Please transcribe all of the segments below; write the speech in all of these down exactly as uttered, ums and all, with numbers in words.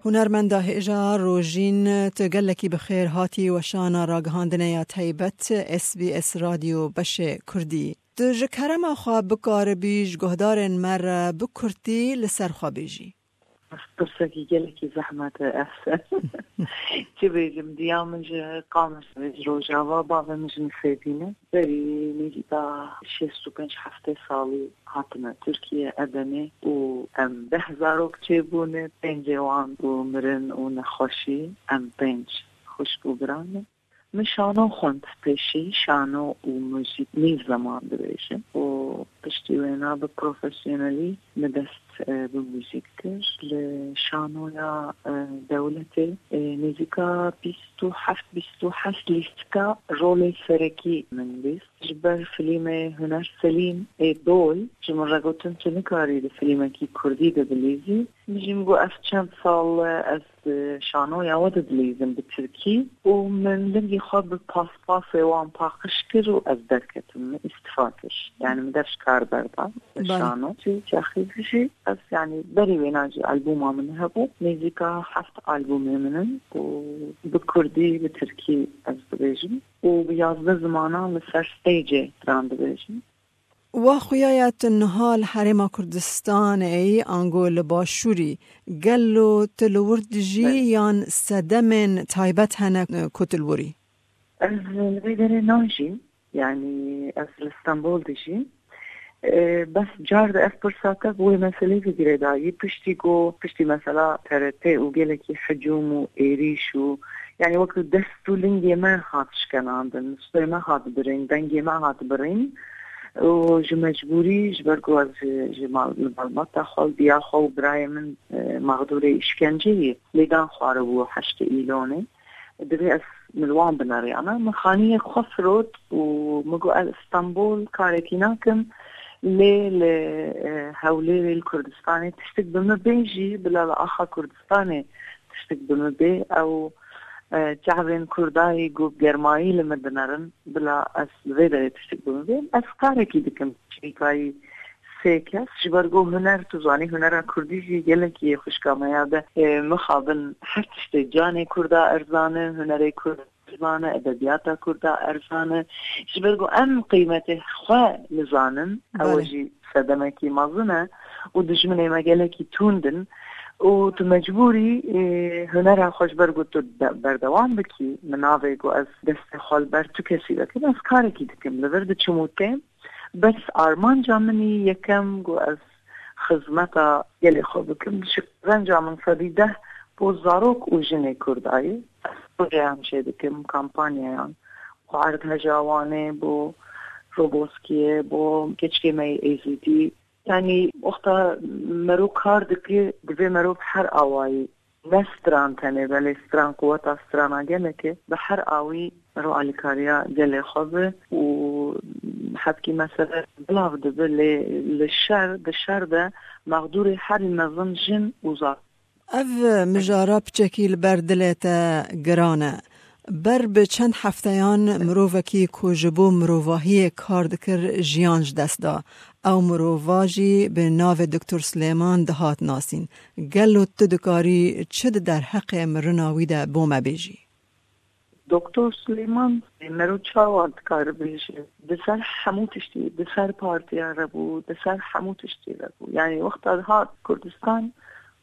Hunermenda hêja Rojîn, tu gelekî bi xêr hatî weşana ragihandinê ya taybet S B S Radyo beşê Kurdî. Tu ji kerema xwe bikaribî ji guhdarên me re bi kurtî li ser xwe bêjî? Pirsekî gelekî zehmet e ev. Çi bêjim, diya min ji Qamişlo, ji Rojava, bavê min ji Nisêbîn e. Berî nêzîka şêst û pênc heftê salî hatime Tirkiye, Edenê, û em deh zarok çêbûne, pêncê wan û mirin û nexweşî, em pênc xwişk û bira ne. Min şano xwend pêşî, şano û muzîk nîv zeman dibêjin û piştî wêna bi profesyonelî min dest, e, bi muzîk kir. Li şanoya, e, dewletê, e, nêzîka bîst û heft bîst û heşt lîstika rolê serekî min lîst. Ji ber filmê Huner Selîm ê Dol, ji min re gotin, tu nikarî di filmekî kurdî de bilîzî. Min jî min got, ev çend sal e ez di şanoya we de dilîzim bi tirkî û min lingê xwe bi paspasê wan paqij kir û ez derketim, min îstifa kir. Yani min dev ji kar berda. Belê. Şano. Çi çaxî jî ez, yani berî wêna jî albûma min hebû. Nêzîka heft albûmê min in û bi kurdî, bi tirkî ez dibêjim û bi yazdeh zimanan li ser stêcê stran dibêjim. Wa xuya ya tu niha li Herêma Kurdistanê yî, ango li Başûrî, gelo tu li wir dijî Belê. yan sedemên taybet hene, e, ku tu li wir î? Ez li vê derê najîm, yanî ez li Stenbol dijîm. E, bes car de ev pirsa te bi wê meselê ve girêdayî. Piştî ku, piştî mesela T R T û gelekî hicûm û êrîş û, yanî wekî dest û lingê me hat şikenandin, stûyê me hat birîn, dengê me hat birîn. Û ji mecbûrî, ji ber ku ez ji, ji mal, li malbata xwe, diya xwe û birayê min, e, mexdûrê îşkenceyê lêdan xwaribû heştê Îlonê. Divê ez min li wan bineriyana. Min xaniyê xwe firot û min got, ez Stenbol karekî nakim, lê li, e, Hewlêrê, li Kurdistanê tiştik bi min bê jî, bila li axa Kurdistanê tiştik bi min bê. Ew, e, çavên Kurdayî ku bi germayî li min dinerin, bila ez li vê derê tiştik bi min bê. Ez karekî dikim, şerîkayî sê kes, ji ber ku huner, tu zanî, hunera kurdî jî gelekî yê xwişka me ya de, e, mixabin her tiştê canê kurda erzan e, hunerê kurd erzan e, edebiyata kurda erzan e. Ji ber ku em qîmetê xwe nizanin, ew Belê. jî sedemekî mezin e û dijminê me gelekî tund in û tu mecbûrî, e, hunera xwe ji ber ku tu de-, berdewam bikî, min navê ku ez destê xwe li ber tu kesî vekim, ez karekî dikim, li vir diçim û têm. Bes armanca min î yekem ku ez xizmeta gelê xwe bikim. Ji qezenca min sedî deh bo zarok û jinê Kurda ye. Ez projeyan çêdikim, kampanyayan. Bo erdheja Wanê, bo Roboskiyê, bo keçikê me yê Êzidî. Yanî wexta mero kar dike, divê mero bi her awayî, ne stran tenê, belê stran quweta strana gelek e, bi her awî mero alîkariya gelê xwe be û hebkî mesele bilav dibe, lê li şer, di şer de mexdûrê herî mezin jin û zarok. Ev mijara piçekî li ber dilê te giran e. Ber bi çend hefteyan mirovekî ku ji bo mirovahiyê kar dikir, jiyan ji dest da. Ew mirova jî bi navê Doktor Silêman dihat nasîn. Gelo tu dikarî çi di derheqê mirina wî de bo me bêjî? Doktor Silêman, mero çawa dikare bêje? Di ser hemû tiştî, di ser partiya re bû, di ser hemû tiştî re bû. Yanî wexta dihat Kurdistan,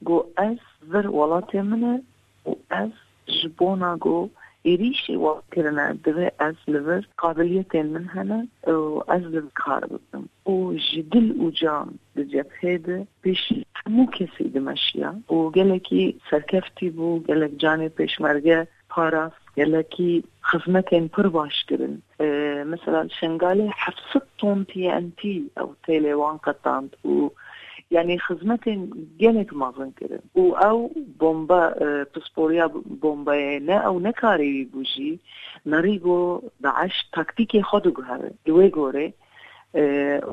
got, ez vir welatê min e û ez ji bona ku êrîşê wan kirine, divê ez li vir qabiliyetên min hene û ez li vir kar bikim. Û ji dil û can di cephê de pêşî hemû kesî dimeşiya û gelekî serkeftî bû, gelek canê pêşmerge parast, gelekî xizmetên pir baş kirin. Ee, mesela li Şengalê heft sed ton T N T ew têlê wan qetand û, yanî, xizmetên gelek mezin kirin. Û ew bomba, e, pisporiya bombayê ne ew nekarê wî bû jî, merî got, DAIŞ taktîkê xwe diguhere. Li wê gorê, e,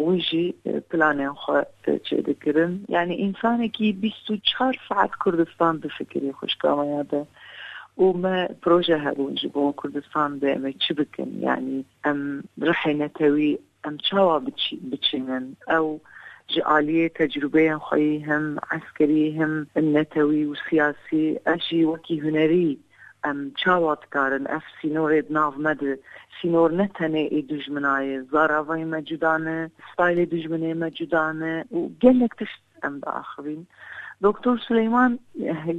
wî jî, e, planên xwe, e, çêdikirin. Yanî, însanekî bîst û çar saet Kurdistan difikirî, xwişka me ya de. Û me proje hebûn ji bo Kurdistan de, em ê çi bikin? Yanî, em rihê netewî, em çawa biçî-, biçînin? Ew Ji aliyê tecrûbeyên xwe yî him eskerî, him netewî û siyasî, ev jî wekî hunerî em çawa dikarin ev sînorê di nav me de, sînor ne tenê ê dijmina ye, zaravayê me cuda ne, staylê dijminê me cuda ne û gelek tişt em diaxivîn. Doktor Suleyman,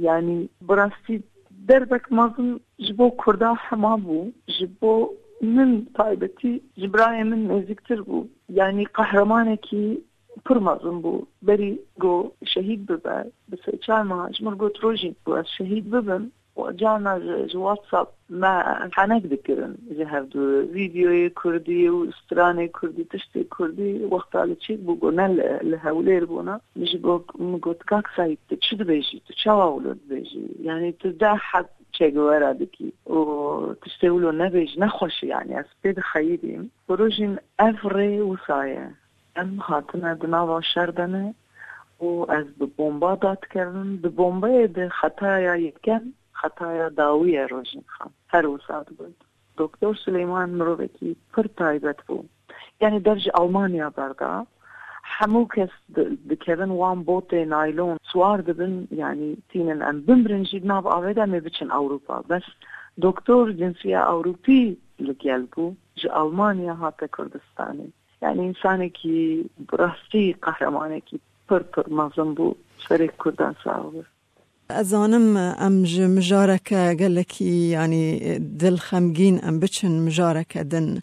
yanî bi rastî derbek mezin ji bo Kurda hema bû, ji bo min taybetî, ji birayê min nêzîktir bû. Yanî qehremanekî pir mezin bû. Berî got şehîd bibe, bi sê çar mah ji min got, Rojîn, got ez şehîd bibim, û carna ji, ji WhatsApp me henek dikirin ji hevdu, vîdeoyê kurdî û stranê kurdî, tiştê kurdî. Wexta li çêk bû, got ne li, li Hewlêr bûna. Min ji got, min got, Kak Seîd, tu çi dibêjî? Tu çawa wilo dibêjî? Yanî tu deh heb Che Guevara dikî û tiştê wilo nebêjî, nexweş e, yanî ez pê dixeyidîm. Rojîn, ev rê wisa ye. Em hatine di nava şer de ne û ez bi bomba dadikevim. Di bombeyê de xetaya yekem, xetaya dawî ye, Rojîn Xan. Her wisa digot. Doktor Suleyman mirovekî pir taybet bû. Yanî dev ji Almanya berda. Hemû kes di-, dikevin wan botê naylon, siwar dibin, yanî tînin em bimirin jî di nav avê de em ê biçin Ewropa. Bes doktor cinsiya Ewropî li gel bû, ji Almanya hate Kurdistanê. Yanî însanekî bi rastî qehremanekî pir pir mezin bû, serê Kurdan sax be. Ez zanim em ji mijareke gelekî, yanî, dilxemgîn em biçin mijareke din.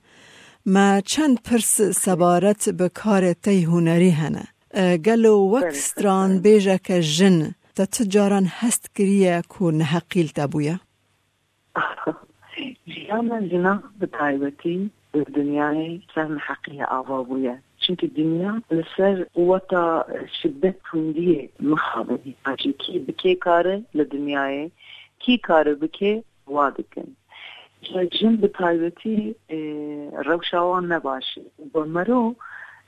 Me çend pirs sebaret bi karê te yê hunerî hene. E, gelo wek stranbêjeke jin te tu caran hest kiriye ku neheqî li te bûye? Jiyan me jina bi taybetî li dinyayê ser neheqiyê ava bûye. Çimkî dinya li ser quweta şidet tundiyê mixabin. Hîna jî kî bi kê kare li dinyayê, kî kare bike, wa dikin. Ji jin bi taybetî, e, rewşa wan ne baş e. Bi mero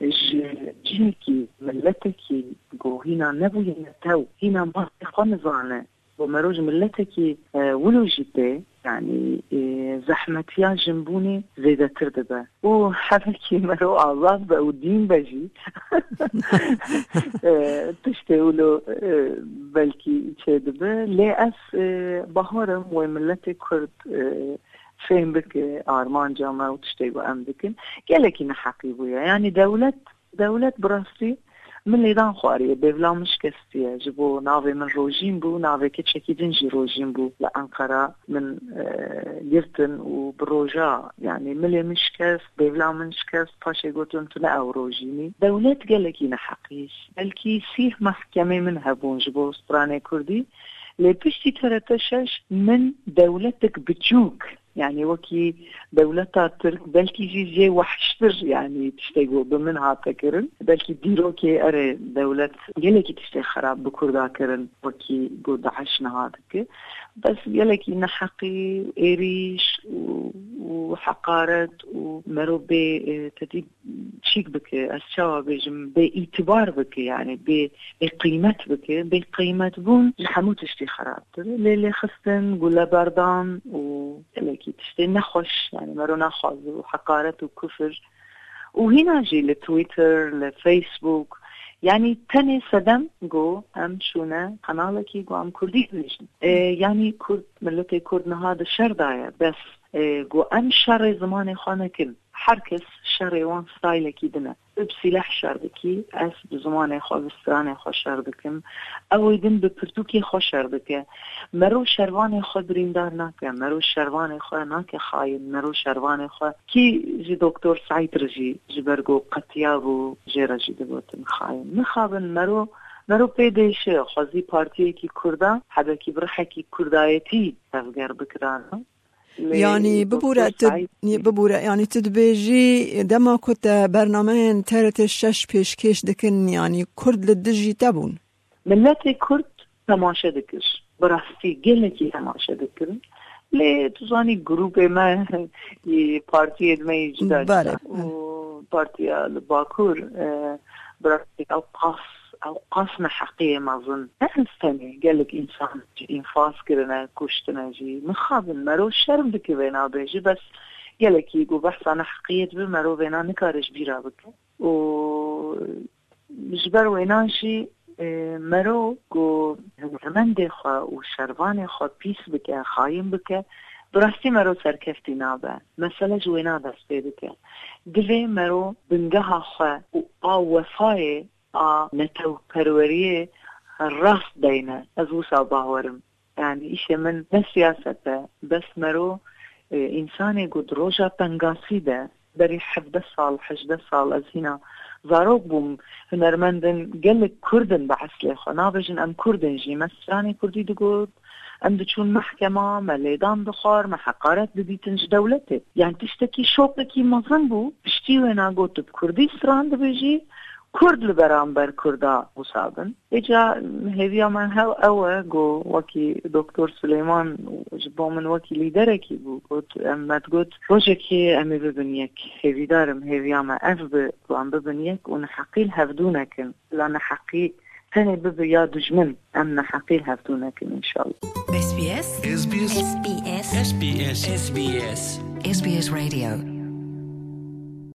ji cihekî, miletekî ku hîna nebûye netew, hîna mafê xwe nizane, bo mero ji miletekî, e, wilo jî tê, yanî, e, zehmetiya jinbûnê zêdetir dibe. Û hebekî mero azad be û dîn be jî, e, tiştê wilo, e, belkî çêdibe. Lê ez, e, baharim wê miletê Kurd, e, fêm bike armanca me û tiştê ku em dikin. Gelekî neheqî bûye. Yanî dewlet Dewlet bi rastî min lêdan xwariye, bêvla min şikestiye. Ji bo navê min Rojîn bû, navê keçekî din jî Rojîn bû. Li Enqera min, e, girtin û bi roja, yanî milê min şikest, bêvla min şikest, paşê gotin, tu ne ew Rojîn î. Dewlet gelekî neheqî. Belkî sîh mehkemê min hebûn ji bo stranê kurdî, lê piştî T R T şeş min dewletek biçûk, yanî wekî dewleta Tirk, belkî jî jê wehştir, yanî tiştê ku bi min hate kirin. Belkî dîrokê erê dewlet gelekî tiştê xerab bi Kurda kirin, wekî ku DAIŞ niha dike. Bes gelekî neheqî, êrîş û, û heqaret û mero bê, e, tedî çîk bike, ez çawa bêjim, bê îtibar bike, yanî bê, bê qîmet bike, bê qîmetbûn ji hemû tiştî xerabtir e. Lê lêxistin, guleberdan û gelekî tiştê nexweş, yanî mero naxwaze û heqaret û kufir. Û hîna jî li Twitter, li Facebook, yanî tenê sedem ku em şûne qenalekî ku em kurdî dibêjin. E, yanî Kurd, miletê Kurd niha di şer de ye, bes, e, ku em şerê zimanê xwe nekin. Her kes şerê wan staylekî din e. Tu bi sîleh şer dikî, ez bi zimanê xwe, bi stranê xwe şer dikim. Ew ê din bi pirtûkê xwe şer dike. Mero şervanê xwe birîndar nake, mero şervanê xwe nake xayin, mero şervanê xwe, kî ji Doktor Seîd re jî ji ber ku qetiyabû jê re jî digotin xayin. Mixabin mero, mero pê dêşe, xwezî partiyekî Kurda hebekî bi rihekî Kurdayetî tevger bikirana. Lê Yanî Doktor bibûre tu, Seîd bibûre, yanî tu dibêjî dema ku te bernameyên T R T şeş pêşkêş dikin, yanî Kurd li dijî te bûn? Miletê Kurd temaşe dikir. Bi rastî gelekî temaşe dikirin. Lê tu zanî grûpê me, partiyê me yê cuda Belê, cuda. Û partiya li Bakur, e, bi rastî ew qas, ew qas neheqiyê mezin. Ne ez tenê, gelek însan jî înfaz kirine, kuştine jî. Mixabin mero şerm dike vêna bêje, bes gelekî ku behsa neheqiyê dibe, mero vêna nikare ji bîra bike. Û Ji ber wêna jî, e, mero ku hunermendê xwe û şervanê xwe pîs bike, xayin bike, bi rastî mero serkeftî nabe. Mesele ji wêna dest pê dike. Divê mero bingeha xwe û a wefayê, a netewperweriyê rast deyne. Ez wisa bawer im. Yani îşê min ne siyaset e, bes mero, e, însanê ku di roja pengasî de, berî hevdeh sal, hejdeh sal ez hîna zarok bûm, hunermendin gelek Kurd in bi eslê xwe. Nabêjin em Kurd in jî. Me stranê Kurdî digot, em diçûn mehkema, me lêdan dixwar, me heqaret didîtin ji dewletê. Yani tiştekî şokekî mezin bû. Piştî wêna got, tu bi Kurdî stran dibêjî, Kurd li beramber Kurda wisa bin. Îca hêviya me hev ew e, got, wekî Doktor Silêman ji bo min wekî lîderekî bû. Got, em me digot, rojekê em ê bibin yek. Hêvîdar im, hêviya me ev bi, ku em bibin yek û neheqî li hevdû nekin. La neheqî tenê bibe ya dijmin, em neheqî li hevdû nekin, înşallah. S B S. S B S. S B S. S B S. S B S. S B S Radio.